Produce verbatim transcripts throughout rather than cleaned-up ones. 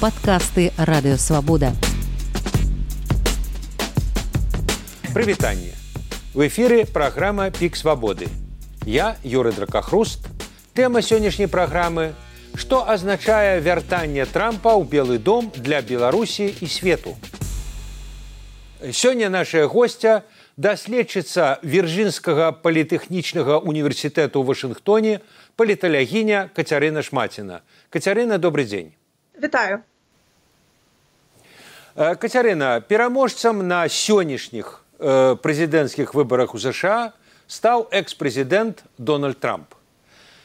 Подкасты «Радио Свобода». Прывітанне. В эфире программа «Пик свободы». Я, Юрий Дракохруст. Тема сённяшняй программы – што азначае вяртанне Трампа ў Белы дом для Беларусі і свету. Сёння нашая гостя – даследчыца Вірджынскага політэхнічнага універсітэту ў Вашынгтоне, паліталагіня Кацярына Шмаціна. Кацярына, добрый дзень. Вітаю. Кацярына, пераможцам на сённяшніх э, прэзідэнцкіх выбарах у ЗША стаў экс-прэзідэнт Дональд Трамп.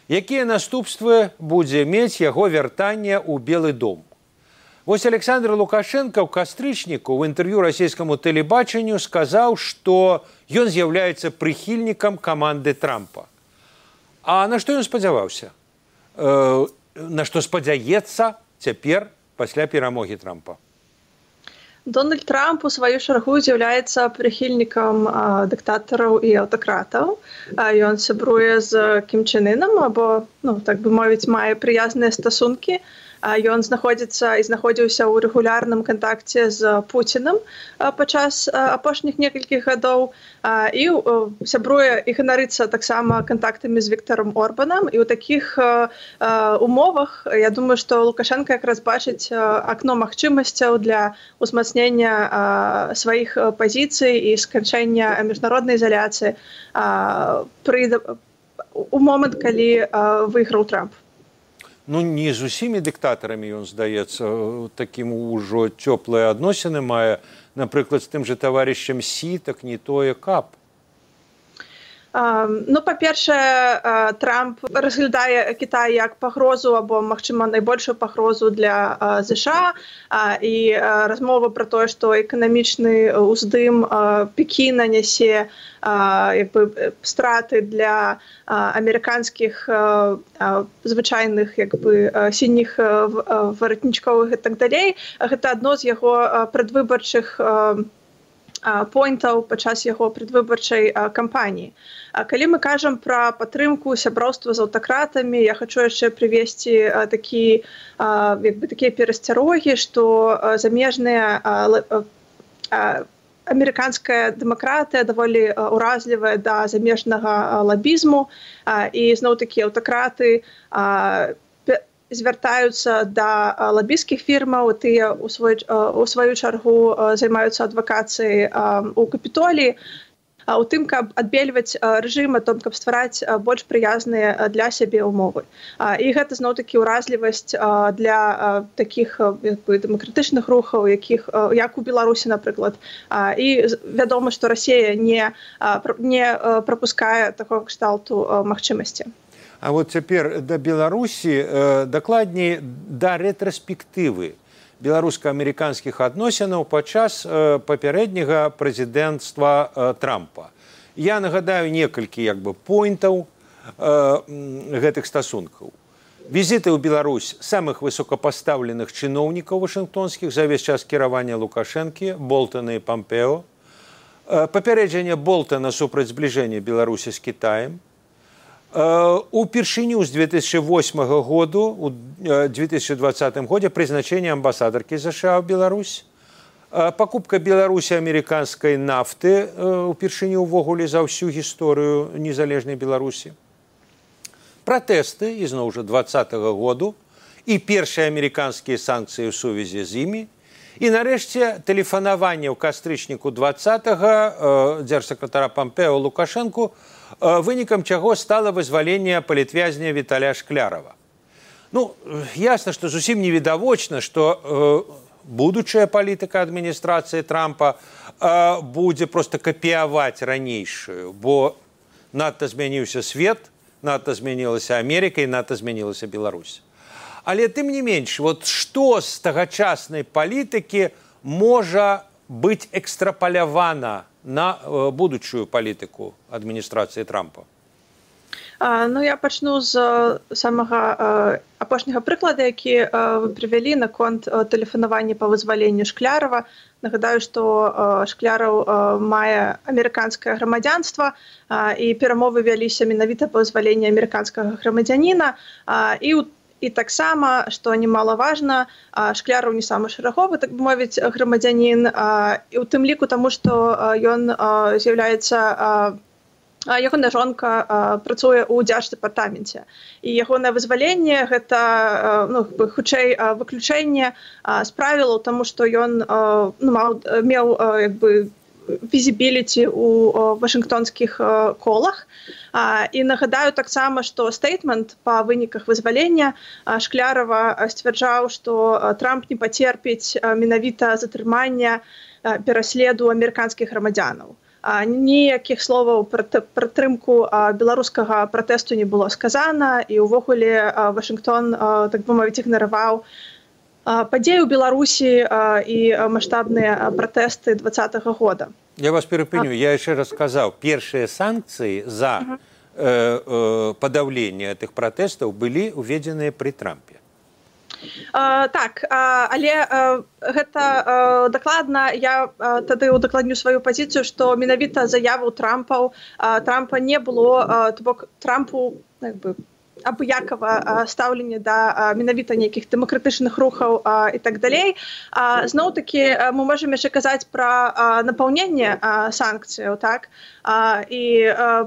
Якія наступствы будзе мець яго вяртанне ў Белы дом? Вось Александр Лукашенко ў кастрычніку ў інтэрв'ю расійскаму тэлебачанню сказаў, што ён з'яўляецца прыхільнікам каманды Трампа. А на што ён спадзяваўся? Э, на што спадзяецца цяпер пасля перамогі Трампа? Дональд Трамп у сваю чаргу з'яўляецца прыхільнікам дыктатараў і аўтакратаў. Ён сябруе з Кім Чен Ынам, або, ну, так бы мовіць, мае прыязныя стасункі. Ён знаходзіцца і знаходзіўся ў рэгулярным кантакце з Пуцінам падчас апошніх некалькіх гадоў і сябруе і ганарыцца таксама кантактамі з Віктарам Орбанам. І ў такіх умовах, я думаю, што Лукашенко якраз бачыць акно магчымасцяў для ўзмацнення сваіх пазіцый і сканчэння міжнароднай ізаляцыі у момант, калі выйграў Трамп. Ну, не з усімі дыктатарамі ён, здаецца, такім ужо цёплыя адносіны мае. Напрыклад, з тым жа таварышам Сі, так не тое каб. Ну, па-першае, Трамп разглядае Кітай як пагрозу або, магчыма, найбольшую пагрозу для ЗША, і размова пра тое, што эканамічны ўздым Пекіна нясе як бы страты для амерыканскіх звычайных як бы сініх варатнічковых і так далей. Гэта адно з яго прадвыбарчых поінтаў падчас яго прадвыбарчай кампаніі. Калі мы кажам пра падтрымку сяброўства з аўтакратамі, я хачу яшчэ прывесці такі, як бы, такія перасцярогі, што замежныя амерыканская дэмакратыя даволі ўразлівая да замежнага лабізму, і зноў-такі аўтакраты звяртаюцца да лабісцкіх фірмаў, тыя у свою, у сваю чаргу займаюцца адвакацыяй у Капітоліі, у тым, каб адбельваць рэжым, о том, каб ствараць больш прыязныя для сябе ўмовы. І гэта зноў-такі ўразлівасць для такіх, як бы, дэмакратычных рухаў, якіх, як у Беларусі, напрыклад. І вядома, што Расія не, не прапускае такога кшталту магчымасці. А вот цяпер да Беларусі, э, дакладней, да рэтраспектывы беларуска-амерыканскіх адносінаў падчас э, папярэдняга прэзідэнцтва э, Трампа. Я нагадаю некалькі, як бы, поінтаў э, гэтых стасункаў. Візіты ў Беларусь самых высокапастаўленых чыноўнікаў вашынгтонскіх за ўвесь час кіравання Лукашэнкі, Болтана і Пампео, э, папярэджанне Болтана супраць збліжэння Беларусі з Кітаем, упершыню з две тысячи восьмага году, у две тысячи двадцатым годзе прызначэнне амбасадаркі ЗША ў Беларусь, пакупка Беларусі амерыканскай нафты упершыню ўвогуле за ўсю гісторыю незалежнай Беларусі, пратэсты, ізноў жа двадцатага году, і першыя амерыканскія санкцыі ў сувязі з імі, і нарэшце тэлефанаванне ў кастрычніку двадцатага дзяржсакратара Пампео Лукашэнку, вынікам чаго стала вызваленне палітвязня Віталя Шклярава. Ну, ясна, што зусім невідавочна, што э, будучая палітыка адміністрацыі Трампа э, будзе проста капіяваць ранейшую, бо надта змяніўся свет, надта змянілася Амерыка і надта змянілася Беларусь. Але тым не менш, вот што з тагачаснай палітыкі можа быць экстрапалявана на э, будучую палітыку адміністрацыі Трампа? А, ну, я пачну з самага э, апошняга прыклада, які э, вы прывялі наконт э, тэлефанавання па вызваленню Шклярава. Нагадаю, што э, Шкляраў э, мае амерыканскае грамадзянства, э, і перамовы вяліся менавіта па вызваленні амерыканскага грамадзяніна, э, і, І таксама, што немалаважна, Шкляраў не самы шэраговы, так бы мовіць, грамадзянін, і ў тым ліку таму, што ён з'яўляецца ягоная жонка працуе ў дзярждэпартаменце. І ягонае вызваленне гэта, ну, хутчэй выключэнне з правілаў, таму што ён ну, маў, меў як бы візібіліці ў вашынгтонскіх колах. І нагадаю таксама, што стейтмент па выніках вызвалення Шклярава сцвярджаў, што Трамп не пацерпіць менавіта затрымання пераследу амерыканскіх грамадзянаў. Ніякіх словаў пра падтрымку беларускага пратэсту не было сказана, і ўвогуле Вашынгтон, так бы мовіць, ігнараваў падзеі ў Беларусі і маштабныя пратэсты двадцатага года. Я вас перепыню, я яшчэ раз сказаў, першыя санкцыі за uh-huh. э, э, падаўленне гэтых пратэстаў былі ўведзеныя пры Трампе. Uh, так, uh, але uh, гэта uh, дакладна, я uh, тады удакладню сваю пазіцыю, што менавіта заяву Трампаў, uh, Трампа не было, uh, то бок Трампу, як бы, абыякава стаўленне да менавіта нейкіх дэмакратычных рухаў і так далей. Зноў-такі мы можам яшчэ казаць пра напаўненне санкцыяў, так? І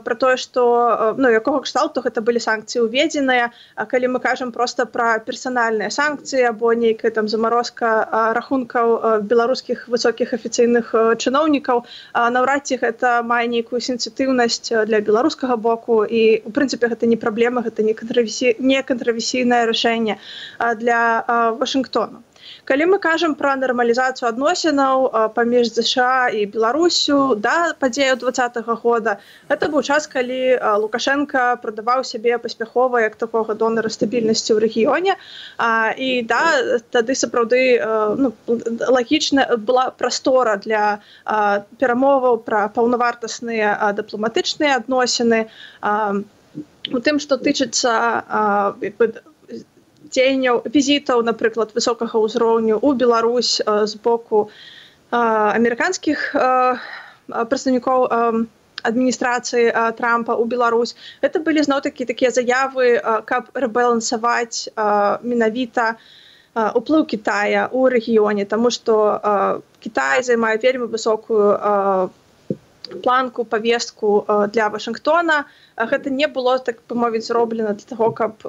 пра тое, што, ну, якога кшталту гэта былі санкцыі ўведзеныя, калі мы кажам проста пра персанальныя санкцыі або нейкая там замарозка рахункаў беларускіх высокіх афіцыйных чыноўнікаў, наўрад ці гэта мае нейкую сенсітыўнасць для беларускага боку, і у прынцыпе гэта не праблема, гэта не некантраверсійнае рашэнне для Вашынгтону. Калі мы кажам пра нармалізацыю адносінаў паміж ЗША і Беларусю да падзеяў двадцатага года, гэта быў час, калі Лукашенка прадаваў сябе паспяхова як такога донара стабільнасці ў рэгіёне, і да, тады сапраўды ну, лагічна была прастора для перамоваў пра паўнавартасныя дыпламатычныя адносіны. У тым, што тычыцца дзеянняў, візітаў, напрыклад, высокага ўзроўню ў Беларусь з боку амерыканскіх прадстаўнікоў адміністрацыі Трампа ў Беларусь. Гэта былі зноў-такі такія заявы, каб рэбалансаваць менавіта уплыў Кітая ў рэгіёне, таму што Кітай займае вельмі высокую планку, павестку для Вашынгтона. Гэта не было, так бы мовіць, зроблена для таго, каб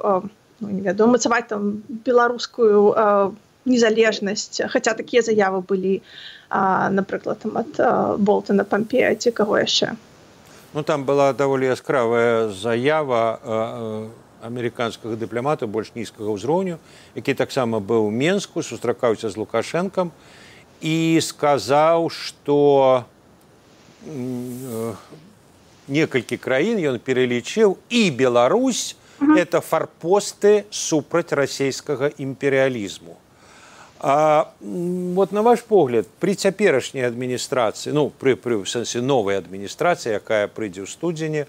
ну, не ведаю, мацаваць там беларускую э, незалежнасць, хаця такія заявы былі, э, напрыклад, там, ад э, Болтона, Пампея ці каго яшчэ. Ну, там была даволі яскравая заява э, амерыканскага дыпламата больш нізкага ўзроўню, які таксама быў у Менску, сустракаўся з Лукашэнкам і сказаў, што э, некалькі краін ён пералічыў, і Беларусь это форпосты супраць расійскага імперыялізму. А вот на ваш погляд, при цяперашняй адміністрацыі, ну, пры, пры в сэнсе новай адміністрацыі, якая прыйдзе ў студзені,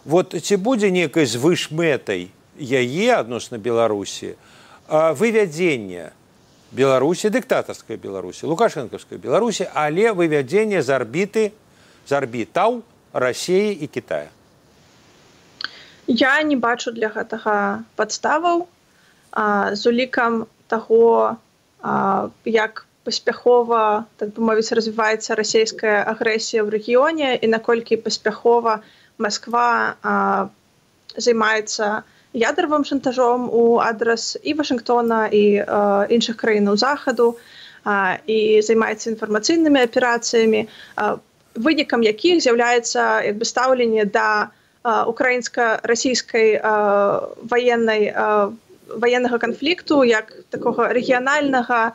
вот ці будзе некай звышмэтай яе адносна Беларусі вывядзенне Беларусі, дыктатарскай Беларусі, лукашэнкаўскай Беларусі, але вывядзенне з арбіты, з арбітаў Расіі і Кітая? Я не бачу для гэтага падставаў. А, з улікам таго, а, як паспяхова, так бы мовіць, развіваецца расійская агрэсія ў рэгіёне і наколькі паспяхова Масква а, займаецца ядравым шантажом у адрас і Вашынгтона, і а, іншых краінаў захаду, а, і займаецца інфармацыйнымі аперацыямі, а, вынікам якіх з'яўляецца як бы стаўленне да украінска-расійскай ваеннай ваеннага канфлікту, як такога рэгіянальнага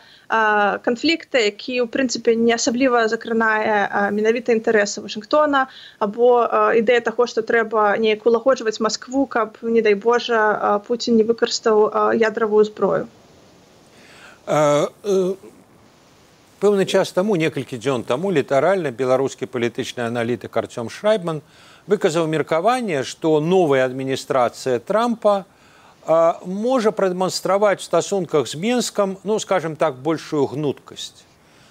канфлікта, які, ў прынцыпе, не асабліва закранае менавіта інтарэсы Вашынгтона, або ідэя таго, што трэба неяк улагоджваць Маскву, каб, не дай Божа, Пуцін не выкарыстаў ядравую зброю. Пэўны час таму, некалькі дзён таму, літаральна беларускі палітычны аналітык Артём Шрайбман выказаў меркаванне, што новая адміністрацыя Трампа а, можа прадэманстраваць в стасунках з Менскам, ну, скажем так, большую гнуткасць.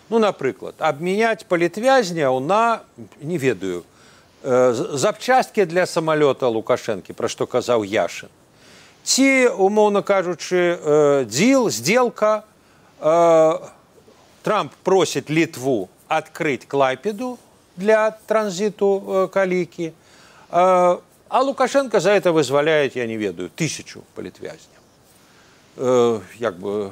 Ну, напрыклад, абмяняць палітвязняў на, не ведаю, э, запчасткі для самалёта Лукашэнкі, пра што казаў Яшын. Ці, умоўна кажучы, дзіл, здзелка. Трамп просіць Літву адкрыць Клайпеду для транзиту калікі, а Лукашенко за это вызваляет, я не ведаю, тысячу палітвязняў. Як бы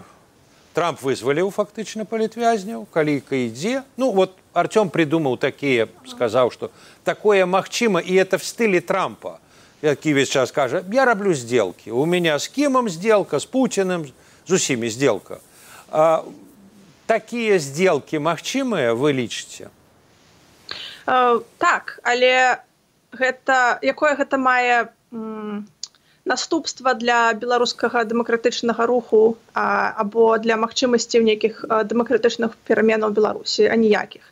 Трамп вызваліў фактычна палітвязняў, каліка ідзе. Ну, вот Артём придумал такие, сказал, что такое махчимо, и это в стиле Трампа. Які весь час каже, я роблю сделки. У меня с Кимом сделка, с Путиным, с усими сделка. А, такие сделки магчимые, вы лічыце? Uh, так, але гэта, якое гэта мае м, наступства для беларускага дэмакратычнага руху а, або для магчымасцей нейкіх дэмакратычных пераменаў Беларусі, а ніякіх.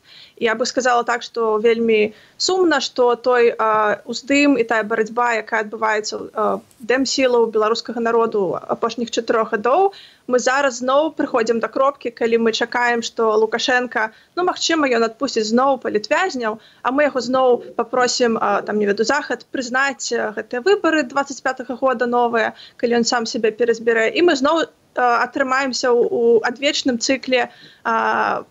Я бы сказала так, што вельмі сумна, што той а, уздым і тая барацьба, якая адбываецца а, дэмсілаў беларускага народу апошніх чатырох гадоў, мы зараз зноў прыходзім да кропкі, калі мы чакаем, што Лукашенко, ну, магчыма, ён адпусціць зноў палітвязняў, а мы яго зноў папросім, а, там, не веду, Захад прызнаць гэтыя выбары дваццаць пятага года новыя, калі ён сам сябе перазбярэ, і мы зноў а, атрымаемся ў, у адвечным цыкле а,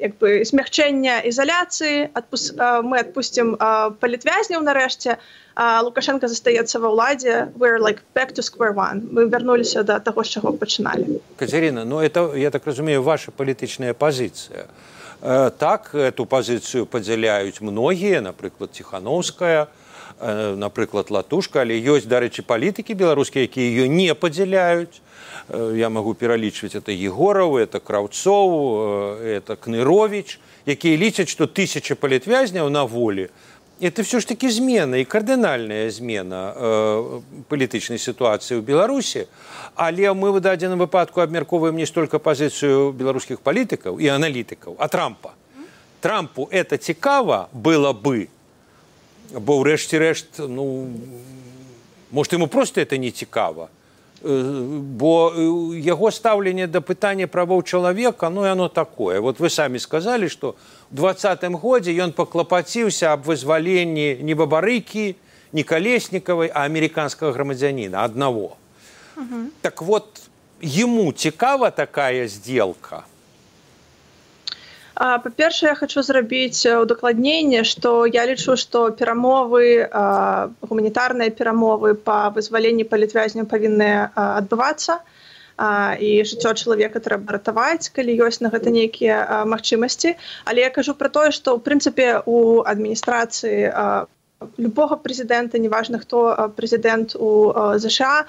як бы змягчэння ізаляцыі, адпус... мы адпусцім палітвязняў нарэшце, а Лукашенко застаецца ва ўладзе. We're like back to square one. Мы вярнуліся да таго, з чаго пачыналі. Катерина, ну это, я так разумею, ваша палітычная пазіцыя. Так, эту пазіцыю падзяляюць многія, напрыклад, Ціхановская, напрыклад, Латушка, але ёсць, дарэчы, палітыкі беларускія, якія яе не падзяляюць. Я могу пералічваць, это Егоров, это Краўцоў, это Кнырович, якія лічаць, што тысяча палітвязняў на волі. Это все ж таки змена, і кардынальная змена э, палітычнай сітуацыі ў Беларусі. Але мы в дадзеным выпадку абмяркоўваем не столькі пазіцыю беларускіх палітыкаў і аналітыкаў, а Трампа. Трампу это цікава было бы, бо ўрэшце рэшт, ну, может, ему просто это не цікава. Бо яго стаўленне да пытання правоў чалавека, ну і оно такое. Вот вы самі сказалі, што ў двадцатым годзе ён паклапаціўся аб вызваленні не Бабарыкі, не Калеснікавай, а амерыканскага грамадзяніна, аднаго. Uh-huh. Так вот, ему цікава такая сделка? Па-першае, я хочу зрабіць удакладненне, што я лічу, што перамовы, гуманітарныя перамовы па вызваленні палітвязняў павінны адбывацца, і жыццё чалавека трэба ратаваць, калі ёсць на гэта нейкія магчымасці. Але я кажу пра тое, што, ў прынцыпе, у адміністрацыі любога прэзідэнта, неважна, хто прэзідэнт у ЗША,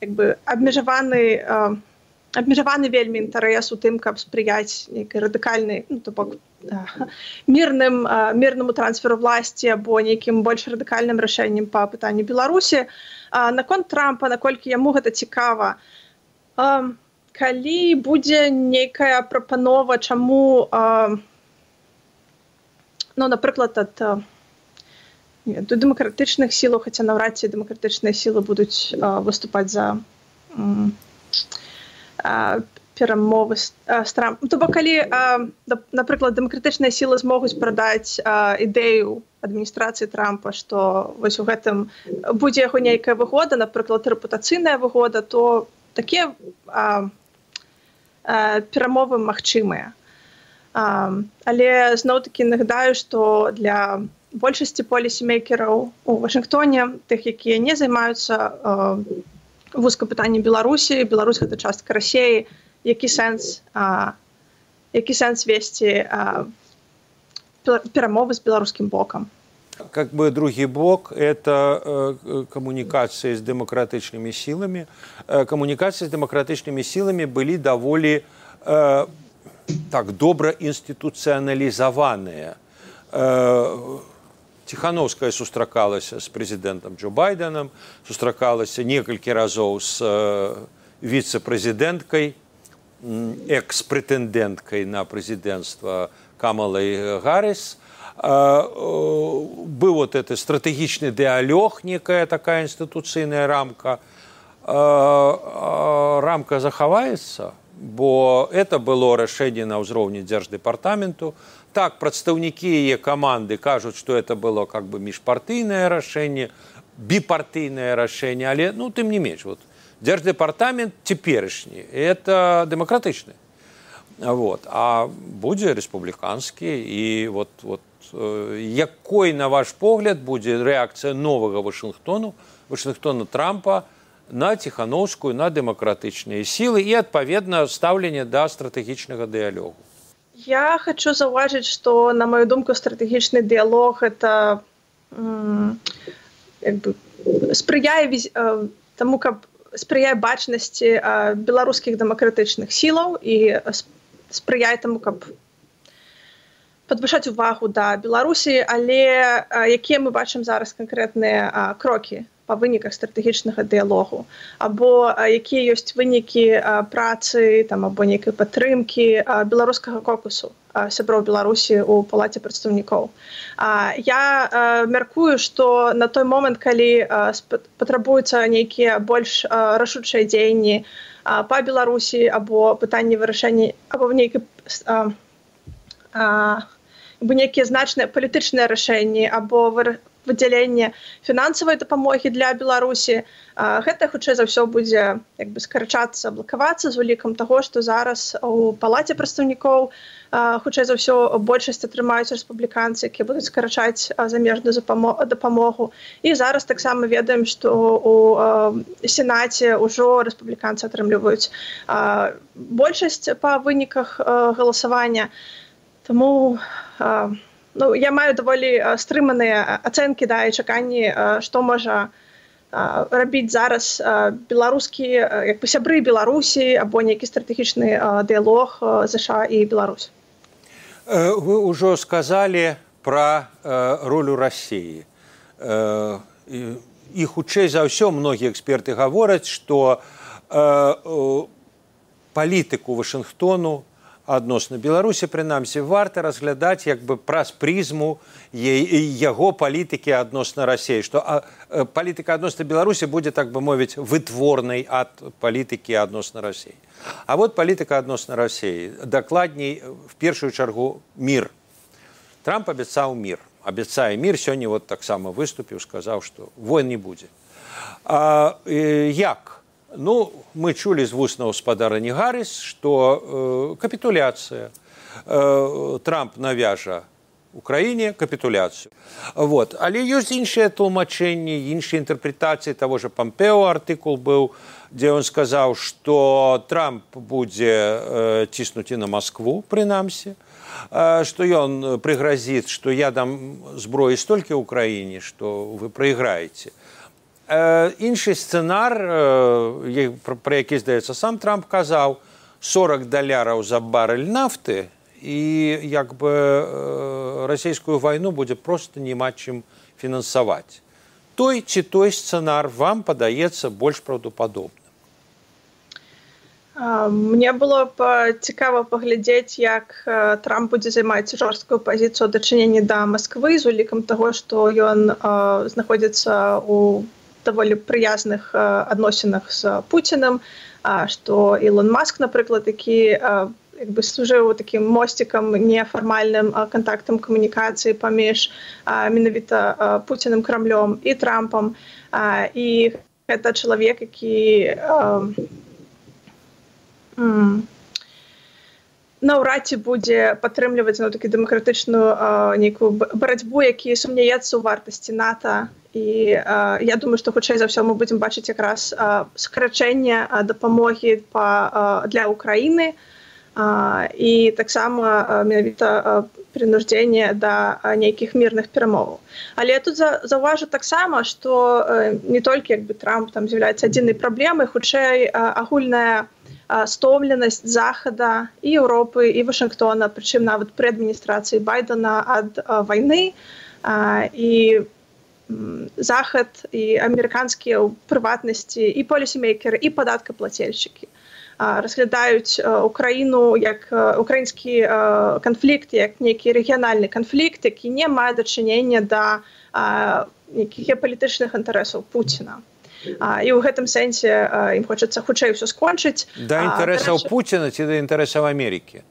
як бы абмежаваны абмежаваны вельмі інтарэс у тым, каб спрыяць нейкай радыкальнай, ну, то бок, мірным, мірнаму трансферу власці або нейкім больш радыкальным рашэннем па пытанню Беларусі. Наконт Трампа, наколькі яму гэта цікава, калі будзе нейкая прапанова, чаму, ну, напрыклад, ад дэмакратычных сілаў, хаця наўрад ці дэмакратычныя сілы будуць выступаць за перамовы з Трампом. То бок, калі, напрыклад, дэмакратычныя сілы змогуць прадаць ідэю адміністрацыі Трампа, што вось у гэтым будзе яго нейкая выгода, напрыклад, рэпутацыйная выгода, то такія перамовы магчымыя. Але зноў-такі нагадаю, што для большасці полісімейкераў у Вашынгтоне, тых, якія не займаюцца вузка пытанне Беларусі, Беларусь гэта частка Расіі, які сэнс, а, які сэнс весці а, перамовы з беларускім бокам. Как бы другі бок – это э, коммуникации с демократичными силами. Э, коммуникации с демократичными силами были довольно э, так добро институционализованные. Э, Ціхановская сустракалася з прэзідэнтам Джо Байденам, сустракалася некалькі разоў з віцэ-прэзідэнткай, экс-прэтэндэнткай на прэзідэнцтва Камалай Гарріс. Быў вот это стратэгічны дыалог, некая такая інстытуцыйная рамка. Рамка захаваецца, бо это было рашэнне на ўзроўні дзярждэпартаменту. Так, прадстаўнікі яе каманды кажуць, што это было как бы міжпартыйнае рашэнне, біпартыйнае рашэнне, але ну тым не менш вот дзярждэпартамент цяперашні это дэмакратычны. Вот. А будзе рэспубліканскі і вот, вот, э, якой, на ваш погляд, будзе рэакцыя новага Вашынгтону, Вашынгтона Трампа на ціханаўскую, на дэмакратычныя сілы і, адпаведна, стаўленне да стратэгічнага дыялогу? Я хочу заўважыць, што, на маю думку, стратэгічны дыялог это м, як бы, спрыяе э, таму, каб спрыяе бачнасці э, беларускіх дэмакратычных сілаў і спрыяе таму, каб падвышаць увагу да Беларусі, але а, якія мы бачым зараз канкрэтныя а, крокі па выніках стратэгічнага дыялогу, або а, якія ёсць вынікі а, працы там, або нейкай падтрымкі а, беларускага кокусу а, сяброў Беларусі ў палаце прадстаўнікоў. А, я а, мяркую, што на той момант, калі а, патрабуюцца нейкія больш а, рашучыя дзеянні па Беларусі або пытанні вырашэння або нейкай а, а, або нейкія значныя палітычныя рашэнні або выдзяленне фінансавай дапамогі для Беларусі, а, гэта хутчэй за ўсё будзе як бы скарачацца, блакавацца з улікам таго, што зараз у палаце прадстаўнікоў а, хутчэй за ўсё большасць атрымаюць рэспубліканцы, якія будуць скарачаць а, замежную дапамогу. І зараз таксама ведаем, што у а, Сенаце ўжо рэспубліканцы атрымліваюць а, большасць па выніках а, галасавання. Таму а, ну, я маю даволі а, стрыманыя ацэнкі да, і чаканні, а, што можа а, рабіць зараз а, беларускі, а, як бы сябры Беларусі або нейкі стратэгічны а, дыялог а, ЗША і Беларусь. Вы ўжо сказалі пра э, ролю Расіі. Э, і, і хутчэй за ўсё многія эксперты гавораць, што э, э, палітыку Вашынгтону адносна Беларусі, прынамсі, варта разглядаць як бы праз прызму яго палітыкі адносна Расіі, што а, палітыка адносна Беларусі будзе, так бы мовіць, вытворнай ад палітыкі адносна Расіі. А вот палітыка адносна Расіі, дакладней, в першую чаргу, мір. Трамп абяцаў мір. Абяцае мір, сёння вот таксама выступіў, сказаў, што войн не будзе. А, э, як? Ну, мы чулі з вуснаў спадарні Гарріс, што э, капітуляцыя. Э, Трамп навяжа Украіне капітуляцыю. Вот. Але ёсць іншыя тлумачэнні, іншыя інтэрпрэтацыі таго ж Пампео артыкул быў, дзе ён сказаў, што Трамп будзе э, ціснуць і на Маскву, прынамсі, э, што ён прыгразіць, што я дам зброі столькі ў краіне, што вы прайграеце. Іншы сцэнар, пра які, здаецца, сам Трамп казаў, сорок даляраў за барэль нафты, і як бы расійскую вайну будзе проста няма чым фінансаваць. Той ці той сцэнар вам падаецца больш праўдападобным? Мне было б цікава паглядзець, як Трамп будзе займаць жорсткую пазіцыю дачынення да Масквы з улікам таго, што ён знаходзіцца ў даволі прыязных адносінах з Пуцінам, што Ілон Маск, напрыклад, які як бы служыў такім мосцікам, нефармальным кантактам камунікацыі паміж менавіта Пуцінам, Крамлём і Трампам. І гэта чалавек, які наўрад ці будзе падтрымліваць ну, такі дэмакратычную нейкую барацьбу, які сумняецца ў вартасці НАТО. І а, я думаю, што хутчэй за ўсё мы будзем бачыць якраз а, скарачэнне а, дапамогі па, а, для Украіны а, і таксама менавіта прынуждзенне да а, нейкіх мірных перамоваў. Але я тут за, заўважу таксама, што а, не толькі як бы, Трамп там з'яўляецца адзінай праблемай, хутчэй а, агульная а, стомленасць Захада і Еўропы і Вашынгтона, прычым нават пры адміністрацыі Байдена ад а, вайны а, і Захад і амерыканскія ў прыватнасці і полісімейкеры, і падаткаплацельшчыкі разглядаюць Украіну як украінскі канфлікт, як нейкі рэгіянальны канфлікт, які не мае дачынення да нейкіх палітычных інтарэсаў Пуціна. І ў гэтым сэнсе ім хочацца хутчэй ўсё скончыць. Да інтарэсаў Пуціна ці да інтарэсаў Амерыкі?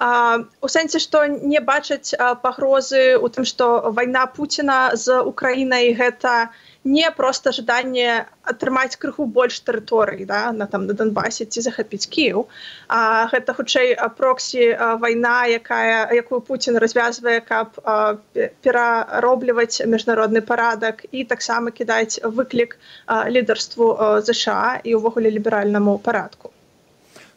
У сэнсе, што не бачаць пагрозы ў тым, што вайна Пуціна з Украінай гэта не проста жаданне атрымаць крыху больш тэрыторый, да, на, там, на Донбасе ці захапіць Кіеў. А гэта хутчэй проксі вайна, якая, якую Пуцін развязвае, каб пераробліваць міжнародны парадак і таксама кідаць выклік лідарству ЗША і ўвогуле ліберальнаму парадку.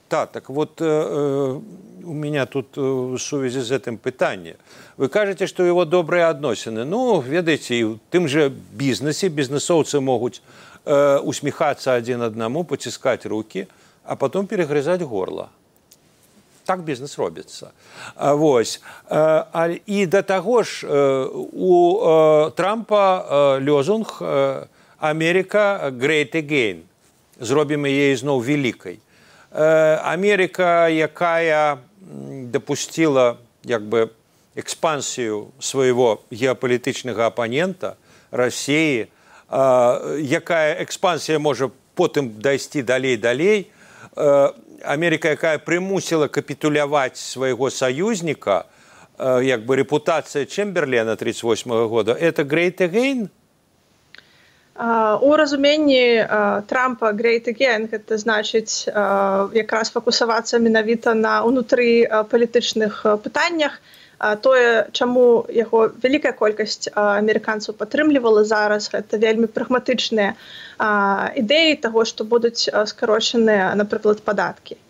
Да, так вот э, у меня тут в сувязі з гэтым пытанне. Вы кажаце, што его добрыя адносіны. Ну, ведаеце, і ў тым жа бізнесе бізнесоўцы могуць э, усміхацца адзін аднаму, паціскаць рукі, а потом перегрызаць горла. Так бізнес робіцца. А, вось. А, а, і да таго ж э, у э, Трампа э, лозунг э, «Америка great again». Зробім яе зноў великай. Америка, якая допустила як бы экспансію свайго геапалітычнага апанента России, якая экспансія можа потым дайсці далей-далей, Америка, якая прымусіла капітуляваць свайго саюзніка, як бы рэпутацыя Чемберлена тридцать восьмого года, это great again? Uh, у разуменні uh, Трампа great again гэта значыць uh, якраз фокусавацца менавіта на ўнутры uh, палітычных uh, пытаннях. Uh, тое, чаму яго вялікая колькасць uh, амерыканцаў падтрымлівала зараз, гэта вельмі прагматычныя uh, ідэі таго, што будуць uh, скарочаныя, напрыклад, падаткі.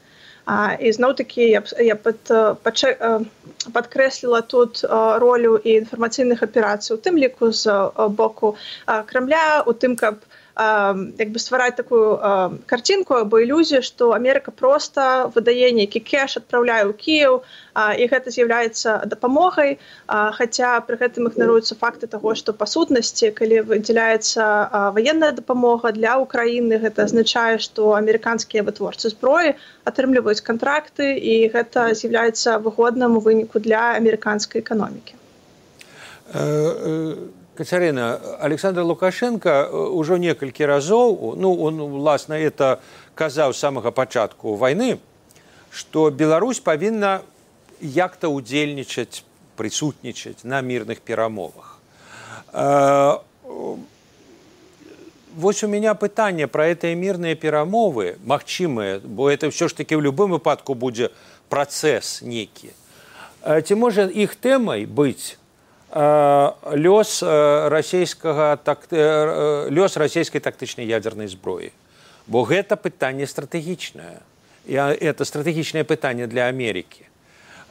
Uh, і зноў-такі я, я пад, пачэ, uh, падкрэсліла тут uh, ролю і інфармацыйных аперацый, у тым ліку з uh, боку uh, Крамля, у тым, каб uh, як бы ствараць такую uh, карцінку або ілюзію, што Амерыка проста выдае нейкі кэш, адпраўляе ў Кіеў, uh, і гэта з'яўляецца дапамогай, uh, хаця пры гэтым ігнаруюцца факты таго, што па сутнасці, калі выдзяляецца uh, ваенная дапамога для Украіны, гэта азначае, што амерыканскія вытворцы зброі атрымліваюць кантракты, і гэта з'яўляецца выгодным у выніку для амерыканскай эканомікі. Кацярына, Александр Лукашенко ўжо некалькі разоў, ну, он, власна, это казаў з самага пачатку вайны, што Беларусь павінна як-то удзельнічаць, прысутнічаць на мірных перамовах. Вось у меня пытанне пра гэтыя мірныя перамовы, магчымыя, бо это ўсё ж такі ў любым выпадку будзе працэс некі. Ці можа іх тэмай быць лёс расійскага лёс расійскай тактычнай ядзернай зброі? Бо гэта пытанне стратэгічнае. І это стратэгічнае пытанне для Амерыкі.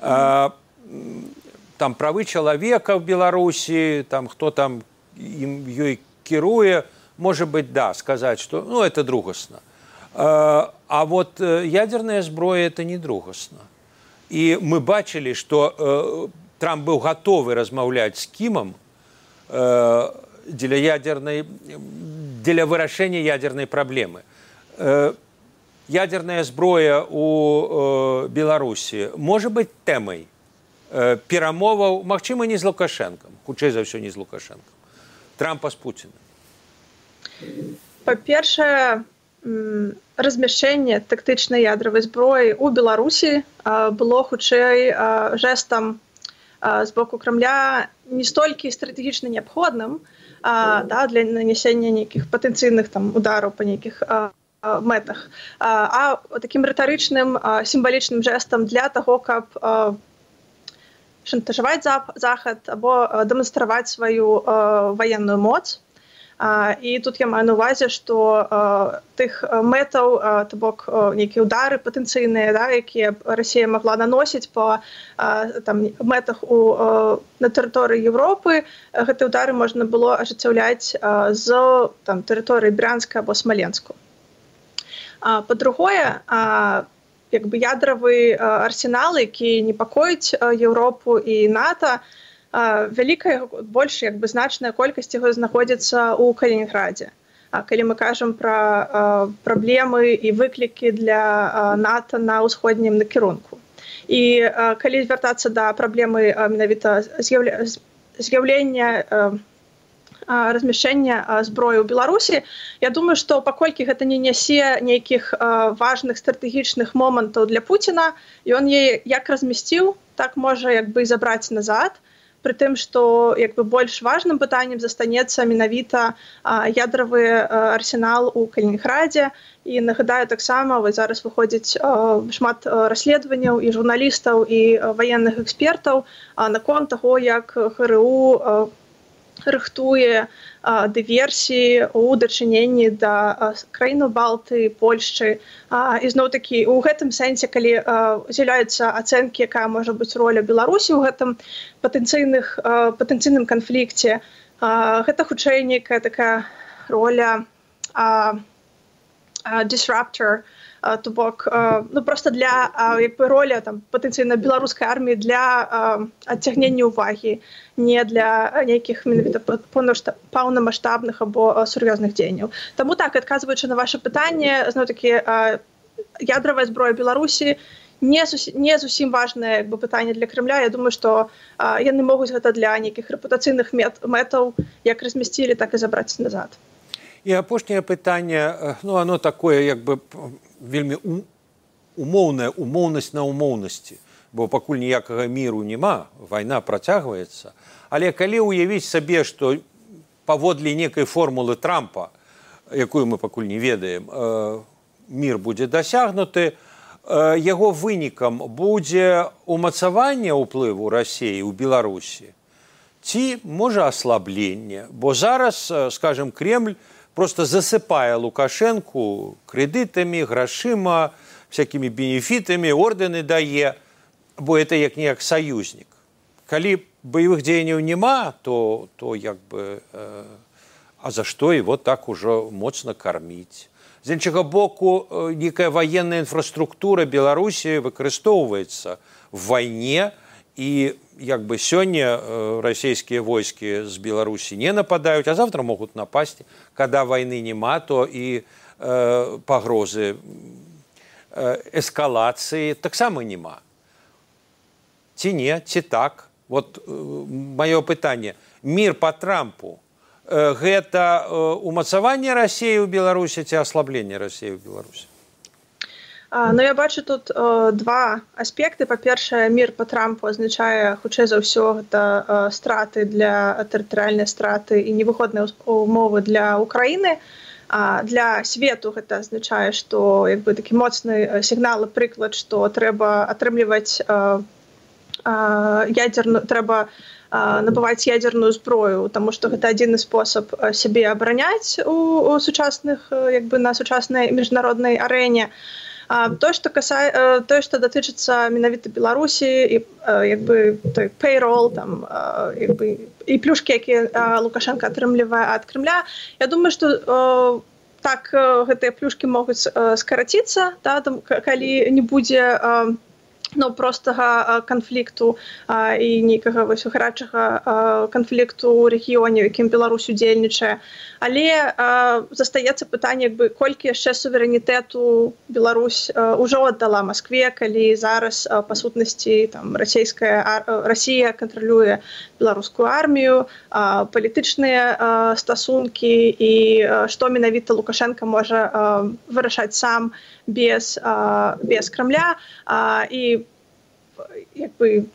Там правы чалавека в Беларусі, там хто там ім ёй кіруе, может быть, да, сказать, что ну, это другосно. А вот ядерная зброя это не другосно. И мы бачили, что Трамп был готовы размаўляць з Кімам для ядерной, для вырашэння ядерной проблемы. Ядерная зброя у Беларусі может быть тэмай перамоваў, магчыма, не з Лукашенком, хутчэй за ўсё не з Лукашенком, Трампа з Пуціным. Па-першае, размяшчэнне тактычнай ядравай зброі ў Беларусі было хутчэй жэстам з боку Крамля не столькі стратэгічна неабходным, да, для нанясення нейкіх патэнцыйных там удараў па нейкіх мэтах, а такім рытарычным сімвалічным жэстам для таго, каб шантажаваць Захад або дэманстраваць сваю ваенную моц. Uh, і тут я маю на увазе, што uh, тых uh, мэтаў, uh, то бок uh, нейкія ўдары патэнцыйныя, да, якія Расія магла наносіць па uh, там, мэтах у, uh, на тэрыторыі Еўропы, uh, гэтыя ўдары можна было ажыццяўляць uh, з там, тэрыторыі Брянска або Смаленску. Uh, па-другое, uh, як бы ядравы uh, арсенал, які непакоіць uh, Еўропу і НАТО, вялікая, больш як бы значная колькасць яго знаходзіцца ў Калінінградзе. Калі мы кажам пра праблемы і выклікі для НАТО на ўсходнім накірунку. І калі звяртацца да праблемы менавіта з'яўлення размяшчэння зброі ў Беларусі, я думаю, што паколькі гэта не нясе нейкіх важных стратэгічных момантаў для Пуціна, ён яе як размясціў, так можа як бы і забраць назад. пры тым, што як бы больш важным пытаннем застанецца менавіта ядравы арсенал у Калінінградзе. І нагадаю, таксама вось зараз выходзіць шмат расследаванняў і журналістаў, і ваенных экспертаў наконт таго, як ГРУ рыхтуе дыверсіі ў дачыненні да краін Балты, Польшчы. І зноў-такі у гэтым сэнсе, калі з'яўляюцца ацэнкі, якая можа быць роля Беларусі ў гэтым патэнцыйных патэнцыйным канфлікце, гэта хутчэй нейкая такая роля disruptor, то бок, ну просто для як бы роля там патэнцыйна беларускай арміі для адцягнення ўвагі, не для нейкіх менавіта паўнамаштабных або сур'ёзных дзеянняў. Таму так, адказваючы на ваше пытанне, зноў-такі ядравая зброя Беларусі не зусім, не зусім важнае як бы пытанне для Кремля. Я думаю, што яны могуць гэта для нейкіх рэпутацыйных мэтаў як размясцілі, так і забраць назад. І апошняе пытанне, ну, оно такое, як бы, вельмі умоўная умоўнасць на умоўнасці, бо пакуль ніякага міру няма, вайна працягваецца. Але калі ўявіць сабе, што паводле некай формулы Трампа, якую мы пакуль не ведаем, мір будзе дасягнуты, яго вынікам будзе умацаванне ўплыву Расіі ў Беларусі, ці, можа, аслабленне, бо зараз, скажем, Кремль просто засыпае Лукашенку крэдытамі, грашыма, всякімі бенефітамі, ордэны дае, бо это як-ніяк саюзнік. Калі баявых дзеянняў няма, то, то як бы, э, а за што его так ужо моцна карміць? З іншага боку, некая военная інфраструктура Беларусі выкарыстоўваецца в вайне, і як бы сёння расійскія войскі з Беларусі не нападаюць, а завтра могуць напасці. Когда вайны няма, то і э, пагрозы э, эскалацыі таксама няма. Ці не, ці так? Вот э, маё пытанне. Мір па Трампу э, гэта э, умацаванне Расіі ў Беларусі ці аслабленне Расіі ў Беларусі? Ну, я бачу тут о, два аспекты. Па-першае, мір па Трампу азначае, хутчэй за ўсё, гэта о, страты для тэрытарыяльнай страты і невыходныя умовы для Украіны. А для свету гэта азначае, што як бы такі моцны сігнал і прыклад, што трэба атрымліваць о, о, ядерную, трэба о, набываць ядерную зброю, таму што гэта адзіны спосаб сябе абараняць у, у сучасных, як бы на сучаснай міжнароднай арэне. То, што касае, тое, што датычыцца менавіта Беларусі і як бы той payroll, там, як бы, і плюшкі, якія Лукашенко атрымлівае ад Кремля, я думаю, што так гэтыя плюшкі могуць скараціцца, да, там, калі не будзе ну, простага канфлікту а, і нейкага вось гарачага канфлікту ў рэгіёне, у якім Беларусь удзельнічае. Але а, застаецца пытанне, як бы, колькі яшчэ суверэнітэту Беларусь а, ўжо аддала Маскве, калі зараз, а, па сутнасці, там, расійская, а, Расія кантралюе беларускую армію, а, палітычныя а, стасункі і а, што менавіта Лукашенко можа а, вырашаць сам без, а, без Кремля. А, і як бы,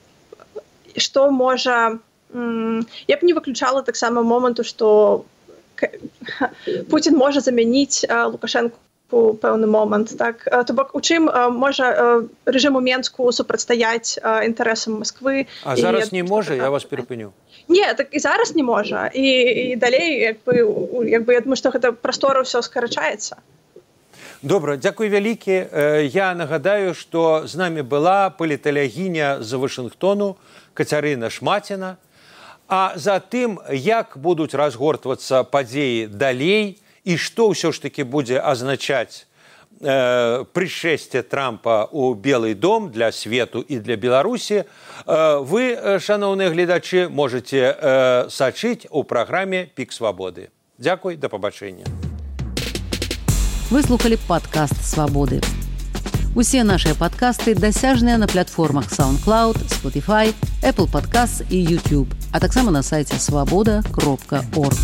што можа... Я б не выключала таксама моманту, што Путін можа замяніць Лукашенку у пэўны момант. Так? То бок, у чым можа рэжыму Менску супрацьстаяць інтарэсам Масквы. А зараз і... не можа? Я вас перапыню. Не, так і зараз не можа. І, і далей, як бы, як бы, я думаю, што гэта прастора ўсё скарачаецца. Добра, дзякуй вялікі. Я нагадаю, што з намі была паліталягіня з Вашынгтону Кацярына Шмаціна. А за тым, як будуць разгортвацца падзеі далей і што ўсё ж такі будзе азначаць э, прышэсце Трампа ў Белы дом для свету і для Беларусі, э, вы, шаноўныя гледачы, можаце э, сачыць у праграме «Пік свабоды». Дзякуй, да пабачэння. Вы слухали падкаст «Свабоды». Усе нашыя падкасты дасяжныя на платформах SoundCloud, Spotify, Apple Podcasts і YouTube, а таксама на сайце свабода кропка орг.